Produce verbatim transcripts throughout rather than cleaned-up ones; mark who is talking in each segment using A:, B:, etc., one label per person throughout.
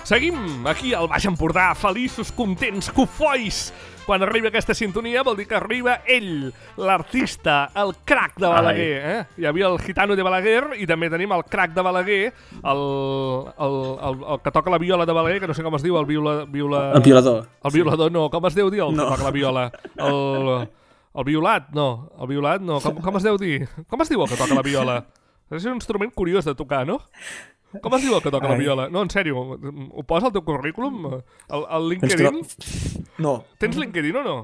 A: Seguim aquí al Baix Empordà, feliços, contents, cofois. Quan arriba aquesta sintonia vol dir que arriba ell, l'artista, el crac de Balaguer. Eh? Hi havia el gitano de Balaguer i també tenim el crac de Balaguer, el, el, el, el que toca la viola de Balaguer, que no sé com es diu, el viola... viola...
B: El violador.
A: El violador, no. Com es deu dir el
B: no.
A: que toca la viola? El, el violat, no. El violat, no. Com, com es deu dir? Com es diu el que toca la viola? És un instrument curiós de tocar, no? Com es diu el que toca Ai. la viola? No, en sèrio, ho posa al teu currículum? Al, al LinkedIn?
B: No.
A: Tens LinkedIn o no?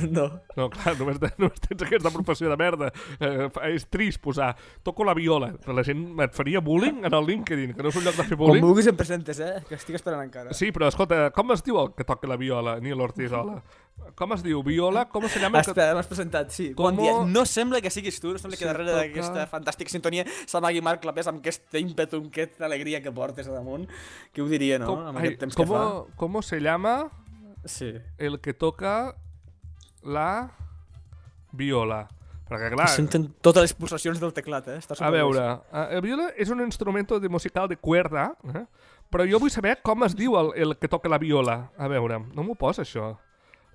B: No.
A: No, clar, només, només tens aquesta professió de merda. Eh, és trist posar, toco la viola. La gent et faria bullying en el LinkedIn, que no és un lloc de fer bullying.
B: Com vulguis em presentes, eh? Que estic esperant encara.
A: Sí, però escolta, com es diu el que toca la viola, Nil Ortizola? Com es diu? Viola? Com se llama?
B: Espera, m'has presentat, sí.
A: Com...
B: Bon dia. No sembla que siguis tu, no sembla
A: sí,
B: que darrere toca... d'aquesta fantàstica sintonia s'amagui Marc Clapés amb aquest ímpetu, amb aquesta alegria que portes a damunt. Qui ho diria, no?
A: Com...
B: Amb aquest temps
A: com...
B: que fa.
A: Com se llama
B: sí.
A: el que toca la viola? Perquè, clar...
B: Senten totes les pulsacions del teclat, eh?
A: A veure, el viola és un instrument de musical de cuerda, eh? Però jo vull saber com es diu el, el que toca la viola. A veure, no m'ho posa, això.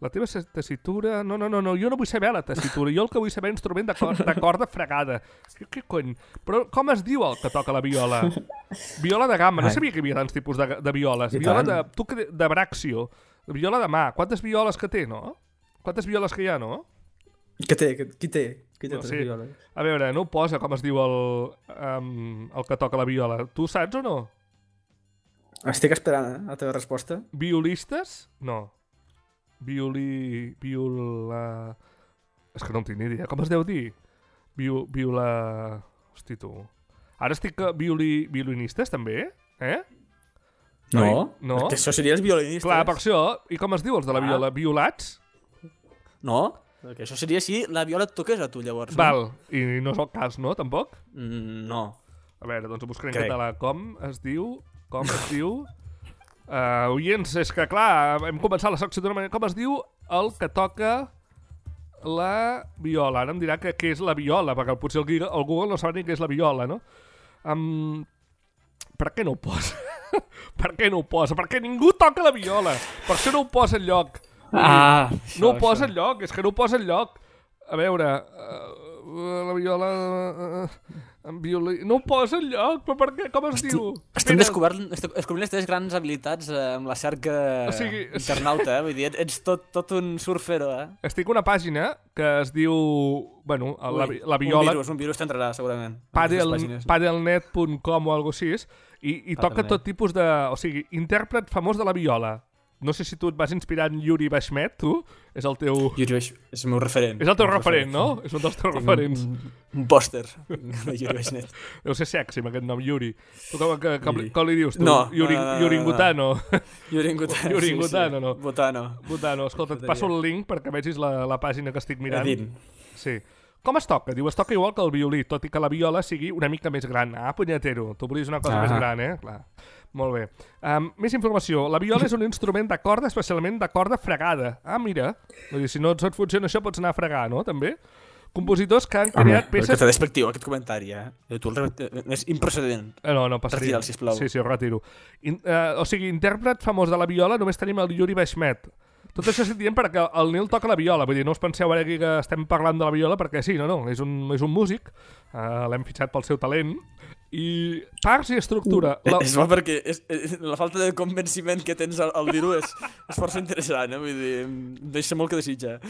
A: La teva tessitura... No, no, no, no, jo no vull saber la tessitura. Jo el que vull saber és instrument de, cor de corda fregada. Què, què cony? Però com es diu el que toca la viola? Viola de gamma. No sabia que hi havia tants tipus de, de violes. Viola de, tu, de, de bràxio. Viola de mà. Quantes violes que té, no? Quantes violes que hi ha, no?
B: Què té? Qui té? Qui té
A: no,
B: tres
A: sí.
B: violes?
A: A veure, no ho posa com es diu el, um, el que toca la viola. Tu saps o no?
B: Estic esperant, eh, la teva resposta.
A: Violistes? No. Violi... Viola... És que no en tinc ni idea. Com es deu dir? Viu, viola... Hosti, tu. Ara estic... Violi, violinistes, també? Eh?
B: No.
A: No?
B: Que això seria els violinistes.
A: Clar, per això. I com es diu els de la viola? Ah. Violats?
B: No. Perquè això seria si la viola et toqués a tu, llavors.
A: Val. No? I no és el cas, no? Tampoc?
B: Mm, no.
A: A veure, doncs ho buscaré en
B: Crec.
A: català. Com es diu... Com es diu... Uh, oients, és que clar, hem començat la secció d'una manera... Com es diu el que toca la viola? Ara em dirà que què és la viola, perquè potser el, el Google no sap ni què és la viola, no? Um, per què no ho posa? Per què no ho posa? Perquè ningú toca la viola. Per això no ho posa enlloc.
B: Ah,
A: no
B: això,
A: ho posa
B: això.
A: enlloc, és que no ho posa enlloc. A veure... Uh, la viola... Uh, amb violí... No ho posa enlloc, però per què? Com es
B: estic,
A: diu?
B: Estem descobrint, descobrint les teves grans habilitats eh, amb la cerca
A: o sigui,
B: internauta, eh? Vull dir, ets tot, tot un surfero, eh?
A: Estic a una pàgina que es diu... Bueno, la,
B: Ui,
A: la viola...
B: Un virus, un virus t'entrarà, segurament.
A: Padel, padelnet punt com o alguna cosa així, i, i toca tot tipus de... O sigui, intèrpret famós de la viola. No sé si tu et vas inspirar en Yuri Bashmet, tu? És el teu...
B: Yuri Bashmet és el meu referent.
A: És el teu referent, referent, no? És un dels teus
B: Tinc
A: referents.
B: Un, un pòster de Yuri Bashmet.
A: Deu ser sexy amb aquest nom, Yuri. Tu com, que, com, com li dius, tu?
B: No.
A: Yuri,
B: no, no, no
A: Yuri Ngutano.
B: Yuri Ngutano,
A: Yuri
B: sí,
A: Ngutano,
B: sí.
A: no?
B: Botano.
A: Botano. Escolta, et passo el link perquè vegis la, la pàgina que estic mirant.
B: Edin.
A: Sí. Com es toca? Diu, es toca igual que el violí, tot i que la viola sigui una mica més gran. Ah, punyetero, tu volies una cosa ah. més gran, eh? Clar. Molt bé. Um, més informació. La viola és un instrument de corda, especialment de corda fregada. Ah, mira. Vull dir, si no et funciona això, pots anar a fregar, no? També. Compositors que han creat
B: Home,
A: peces...
B: Que t'ha despectiu, aquest comentari, eh? Tu el... És improcedent.
A: Eh, no, no passaria.
B: Retira'l, sisplau.
A: Sí, sí, ho retiro. In, uh, o sigui, intèrpret famós de la viola, només tenim el Yuri Bashmet. Tot això estic dient perquè el Nil toca la viola, vull dir, no us penseu ara aquí que estem parlant de la viola perquè sí, no, no, és un, és un músic, uh, l'hem fitxat pel seu talent, i parts i estructura...
B: Uh, la... És bo perquè és, és, la falta de convenciment que tens al, al dir-ho és, és força interessant, eh? Vull dir, deixa molt que desitja.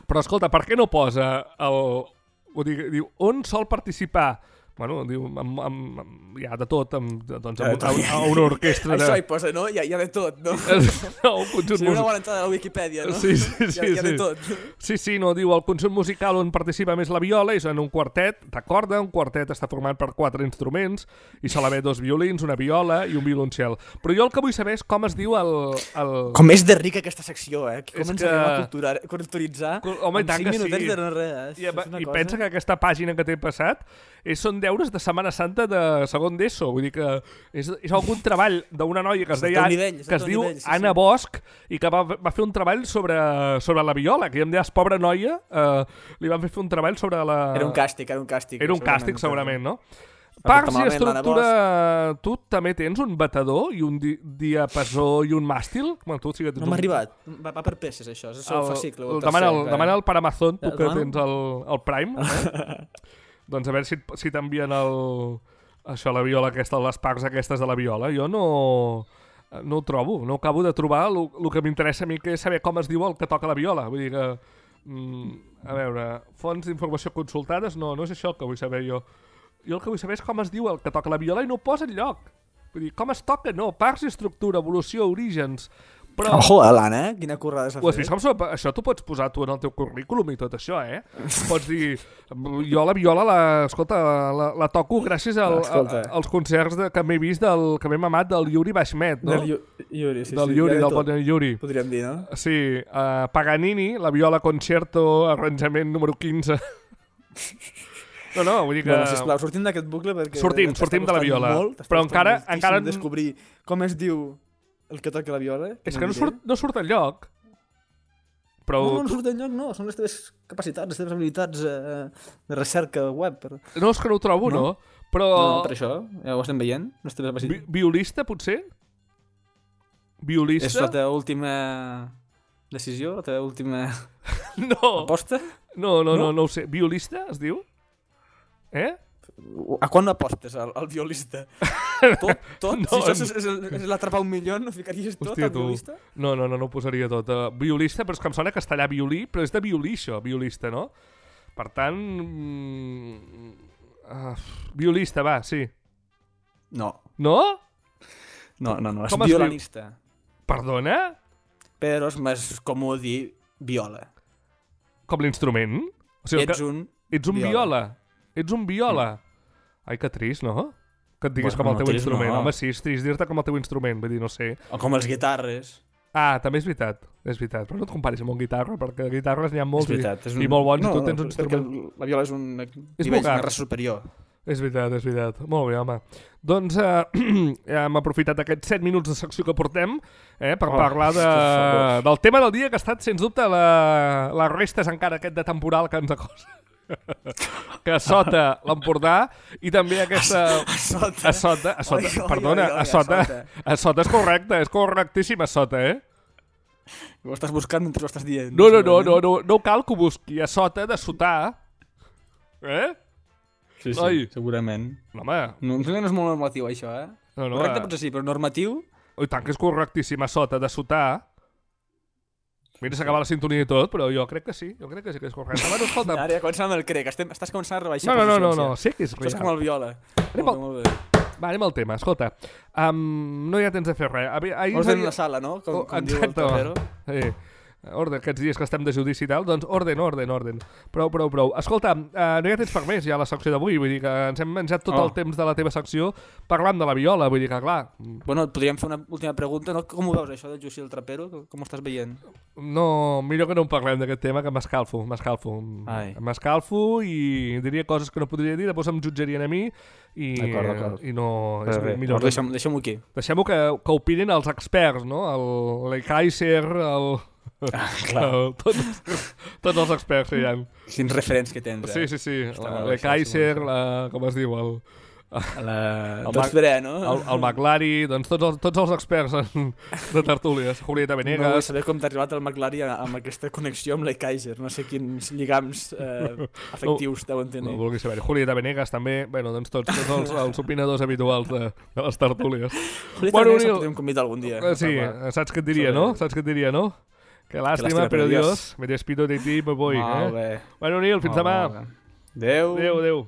A: Però escolta, per què no posa el... Ho dic, diu, on sol participar... Bueno, diu, amb, amb, amb, hi ha de tot, amb, doncs, amb, amb, amb una orquestra de...
B: Això hi posa, no? Hi ha, hi ha de tot, no?
A: no, un conjunt
B: Seria una bona entrada a la Wikipedia, no?
A: Sí, sí, sí.
B: Hi ha, hi ha de
A: sí.
B: tot.
A: Sí, sí, no, diu, el conjunt musical on participa més la viola és en un quartet de corda, un quartet està format per quatre instruments, i sol haver dos violins, una viola i un violoncel. Però jo el que vull saber és com es diu el... el...
B: Com és de rica aquesta secció, eh? Que començarem
A: que...
B: a culturar, culturitzar
A: Home,
B: en cinc minutets
A: sí.
B: de no res. Eh?
A: I, I cosa... pensa que aquesta pàgina que t'he passat és, són deures de Setmana Santa de segon d'ESO, vull dir que és, és algun treball d'una noia que es deia
B: nivell,
A: que es diu
B: nivell, sí,
A: Anna
B: sí.
A: Bosch i que va, va fer un treball sobre, sobre la viola, que ja em deies, pobra noia, eh, li van fer un treball sobre la...
B: Era un càstig, era un càstig.
A: Era un càstig, segurament, no? Parts i estructura... Tu també tens un batedor i un di diapasó i un màstil? Bueno, tu sí que tens
B: no m'ha
A: un...
B: arribat. Va, va per peces, això. És el, el fascicle. El
A: demana,
B: tercer,
A: el, demana el per Amazon, tu
B: el
A: que
B: demano?
A: tens el, el Prime. Eh? Doncs a veure si, si t'envien el... això, la viola aquesta, les parts aquestes de la viola. Jo no... no ho trobo, no acabo de trobar el, el que m'interessa a mi, que és saber com es diu el que toca la viola. Vull dir que... Mm, a veure, fonts d'informació consultades, no, no és això el que vull saber jo. Jo el que vull saber és com es diu el que toca la viola i no ho posa enlloc. Vull dir, com es toca? No, parts i estructura, evolució, orígens... Però...
B: Ojo, l'Anna, eh? Quina currada s'ha
A: fet. Ho has vist com so... Això t'ho pots posar tu en el teu currículum i tot això, eh? Pots dir, jo la viola, la, escolta, la, la toco gràcies al, a, als concerts de, que m'he vist, del, que m'he mamat del Yuri Bashmet, no?
B: Del Yuri, sí,
A: del
B: sí.
A: Yuri, del bon Yuri.
B: Podríem dir, no?
A: Sí, uh, Paganini, la viola concerto, arranjament número quinze. No, no, vull dir que...
B: Bueno, sisplau, sortim d'aquest bucle perquè...
A: Sortim, sortim de la viola.
B: Molt,
A: però encara... encara...
B: descobrir com es diu el que toca la viola.
A: És que no surt, no surt enlloc. Però...
B: No, no surt enlloc, no. Són les teves capacitats, les teves habilitats eh, de recerca web. Per...
A: No, és que no ho trobo, no? no? Però...
B: No, no, per això, ja ho estem veient. Les teves
A: Vi violista, potser? Violista?
B: És la teva última decisió? La teva última
A: no.
B: aposta?
A: No, no, no, no, no ho sé. Violista, es diu? Eh?
B: A quan apostes al, al violista? Tot? Tot? No, si això és, és, és l'atrapar un milió, no ficaries tot al violista?
A: No, no, no, no ho posaria tot. Uh, violista, però és que em sona castellà violí, però és de violí això, violista, no? Per tant... Uh, violista, va, sí.
B: No.
A: No?
B: No, no, no, és
A: com
B: violinista.
A: Perdona?
B: Però és més comú dir viola.
A: Com l'instrument? O sigui,
B: ets
A: que...
B: un
A: Ets un viola. viola. Ets un viola. Mm. Ai, que trist, no? Que et diguis bueno, com el teu no, trist, instrument. No. Home, sí, és trist dir-te com el teu instrument. Vull dir, no sé.
B: O com les guitarres.
A: Ah, també és veritat. És veritat. Però no et comparis amb un guitarra, perquè guitarres n'hi ha molts
B: és veritat, és
A: i,
B: un...
A: i molt bons,
B: no,
A: i tu tens un instrument...
B: La viola és un nivell més superior.
A: És veritat, és veritat. Molt bé, home. Doncs eh, hem aprofitat aquests set minuts de secció que portem eh, per oh, parlar de, del tema del dia, que ha estat, sens dubte, la, les restes encara aquest de temporal que ens acosa. Que a sota l'Empordà i també aquesta...
B: A sota?
A: A sota, a sota. Oi, perdona, oi, oi, a, sota, a, sota. a sota és correcte, és correctíssim a sota, eh?
B: Ho estàs buscant mentre ho estàs dient.
A: No, no, no, no, no, no cal que ho busqui, a sota de sotar. Eh?
B: Sí, sí, Oi. segurament.
A: No, home.
B: No, no és molt normatiu, això, eh? No, no, correcte potser sí, però normatiu...
A: I tant que és correctíssim a sota de sotar. Mira, s'acaba la sintonia i tot, però jo crec que sí, jo crec que sí que és correcte. Bueno, escolta...
B: Ara ja començant amb el crec, Estem, estàs començant a rebaixar
A: no, no, no, no, no, sé que és real.
B: Estàs com el viola.
A: Anem al... Molt bé. Va, anem al tema, escolta. Um, no hi ha temps de fer res. Ahir
B: Ordre en la sala, no? Com,
A: oh,
B: com diu el Torrero.
A: Sí. Orden, aquests dies que estem de judici i tal, doncs orden, orden, orden. Prou, prou, prou. Escolta, uh, no hi ha temps per més ja a la secció d'avui, vull dir que ens hem menjat tot oh. el temps de la teva secció parlant de la viola, vull dir que clar...
B: Bueno, podríem fer una última pregunta, no? Com ho veus això de Jussi el Trapero? Com ho estàs veient?
A: No, millor que no en parlem d'aquest tema, que m'escalfo, m'escalfo. M'escalfo i diria coses que no podria dir, després em jutjarien a mi i,
B: d'acord, d'acord.
A: i no...
B: És bé, millor que... Deixem-ho deixem aquí.
A: Deixem-ho que, que opinin els experts, no? El Kaiser, el...
B: Ah, clar.
A: tots, tots els experts que hi ha.
B: Quins referents que tens, eh?
A: Sí, sí, sí. El Kaiser, la, com es diu, el...
B: La... el tots veré, no?
A: El, el McLari, doncs tots els, tots els experts en, de tertúlies. Julieta Venegas...
B: No vull saber com t'ha arribat el McLari amb aquesta connexió amb la Kaiser. No sé quins lligams eh, afectius no, deuen tenir.
A: No vulgui saber. Julieta Venegas també, bueno, doncs tots, tots els, els opinadors habituals de, de les tertúlies.
B: Julieta bueno, Venegas el podem convidar algun dia.
A: Sí, saps què et diria, no? Saps què et diria, no? Que lástima, però Dios, me despido de ti, me voy.
B: Molt
A: eh?
B: bé.
A: Bueno, Nil, fins demà.
B: Adéu.
A: Adéu, adéu.